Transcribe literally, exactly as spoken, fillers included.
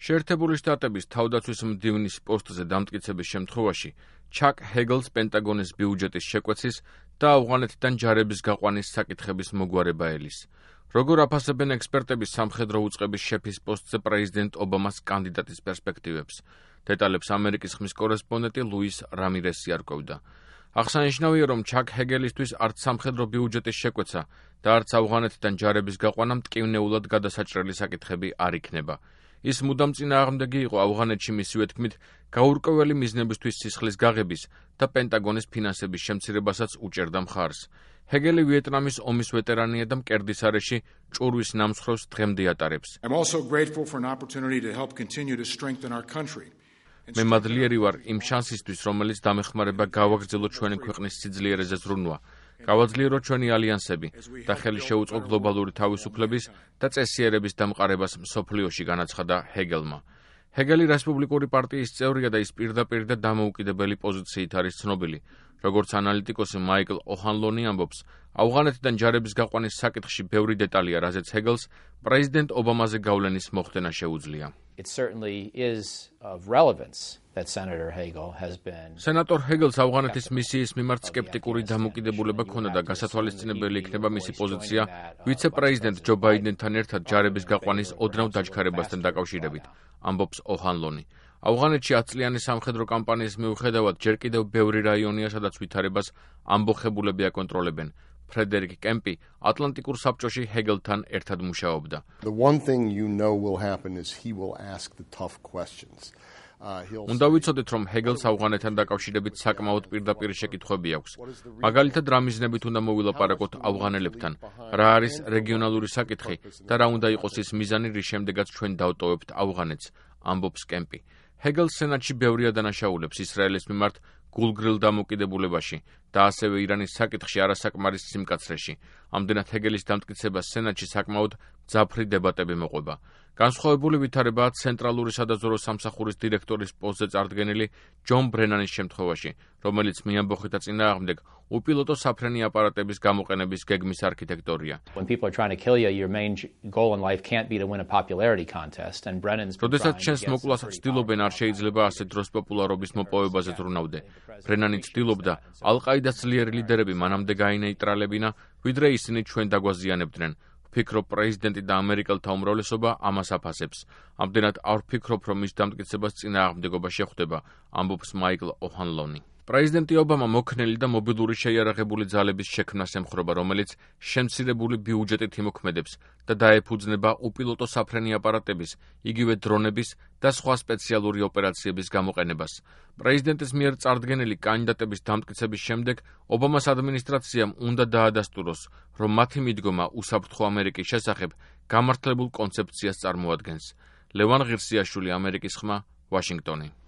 შეერთებული შტატების თავდაცვის მდივნის პოსტზე დამტკიცების შემთხვევაში ჩაკ ჰეგელს პენტაგონის ბიუჯეტის შეკვეცის და ავღანეთიდან ჯარების გაყვანის საკითხების მოგვარება ელის. Როგორ აფასებენ ექსპერტები სამხედრო უწყების შეფის პოსტზე პრეზიდენტ ობამას კანდიდატის პერსპექტივებს? დეტალებს ამერიკის ხმის კორესპონდენტი ლუის რამირესი არკვევდა. აღსანიშნავია, რომ ჩაკ ჰეგელისთვის არც სამხედრო ბიუჯეტის შეკვეცა და არც ავღანეთიდან ჯარების გაყვანა მტკივნეულად გადასაჭრელი საკითხები არ იქნება. ის მუდამ წინააღმდეგი იყო ავღანეთში მისივე თქმით გაურკვეველი მიზნებისთვის სისხლის გაღების და პენტაგონის ფინანსების შემცირებასაც უჭერდა მხარს. ჰეგელი ვიეტნამის ომის ვეტერანია და მკერდის არეში ჭურვის ნამსხვრევს დღემდე ატარებს. მე მადლიერი ვარ იმ შანსისთვის, რომელიც დამეხმარება გავაგრძელოთ ჩვენი ქვეყნის სიძლიერეზე ზრუნვა, გავაძლიეროთ ჩვენი ალიანსები და ხელი შეუწყო გლობალური თავისუფლების და წესიერების დამყარებას მსოფლიოში, განაცხადა ჰეგელმა. ჰეგელი რესპუბლიკური პარტიის წევრია და ის პირდაპირ და დამოუკიდებელი პოზიციით არის ცნობილი. როგორც ანალიტიკოსი მაიკლ ოჰანლონი ამბობს, ავღანეთიდან ჯარების გაყვანის საკითხში ბევრი დეტალია, რაზეც ჰეგელს პრეზიდენტ ობამაზე გავლენის მოხდენა შეუძლია. სენატორ ჰეგელს ავღანეთის მისიის მიმართ სკეპტიკური დამოკიდებულება ჰქონდა და გასათვალისწინებელი იქნება მისი პოზიცია ვიცე-პრეზიდენტ ჯო ბაიდენთან ერთად ჯარების გაყვანის ოდნავ დაჩქარებასთან დაკავშირებით, ამბობს ოჰანლონი. ავღანეთში ათწლიანი სამხედრო კამპანიის მიუხედავად ჯერ კიდევ ბევრი რაიონია, სადაც ვითარებას ამბოხებულები აკონტროლებენ. ფრედერიკ კემპი ატლანტიკურ საბჭოში ჰეგელთან ერთად მუშაობდა. უნდა ვიცოდეთ, რომ ჰეგელს ავღანეთთან დაკავშირებით საკმაოდ პირდაპირ შეკითხვები აქვს. მაგალითად, რა მიზნებით უნდა მოვილაპარაკოთ ავღანელებთან, რა არის რეგიონალური საკითხი და რა უნდა იყოს ის მიზანი, რის შემდეგაც ჩვენ დავტოვებთ ავღანეთს, ამბობს კემპი. ჰეგელს სენატში ბევრია დანაშაულებს ისრაელის მიმართ გულგრილ დამოკიდებულებაში და ასევე ირანის საკითხში არასაკმარის სიმკაცრეში. ამდენად ჰეგელის დამტკიცებას სენატში საკმაოდ მძაფრი დებატები მოყვება. განსხვავებული ვითარებაა ცენტრალური სადაზვერვო სამსახურის დირექტორის პოსტზე წარდგენილი ჯონ ბრენანის შემთხვევაში, რომელიც მიამბოხეთა წინააღმდეგ უპილოტო საფრენი აპარატების გამოყენების გეგმის არქიტექტორია. როდესაც შენს მოკვლას ცდილობენ, არ შეიძლება ასე დროს პოპულარობის მოპოვებაზე ზრუნავდე. ბრენანი ცდილობდა ალ-ყაიდას ძლიერი ლიდერები მანამდე გაინეიტრალებინა, ვიდრე ისინი ჩვენ დაგვაზიანებდნენ. ვფიქრობ, პრეზიდენტი და ამერიკელთა უმრავლესობა ამას აფასებს. ამდენად არ ვფიქრობ, რომ მის დამტკიცებას წინააღმდეგობა შეხვდება, ამბობს მაიკლ ოჰანლონი. პრეზიდენტი ობამა მოქნელი და მობილური შეიარაღებული ძალების შექმნას ემხრობა, რომელიც შემცირებული ბიუჯეტით იმოქმედებს და დაეფუძნება უპილოტო საფრენი აპარატების, იგივე დრონების და სხვა სპეციალური ოპერაციების გამოყენებას. პრეზიდენტის მიერ წარდგენილი კანდიდატების დამტკიცების შემდეგ ობამას ადმინისტრაციამ უნდა დაადასტუროს, რომ მათი მიდგომა უსაფრთხო ამერიკის შესახებ გამართლებულ კონცეფციას წარმოადგენს. ლევან ღირსიაშვილი, ამერიკის ხმა, ვაშინგტონი.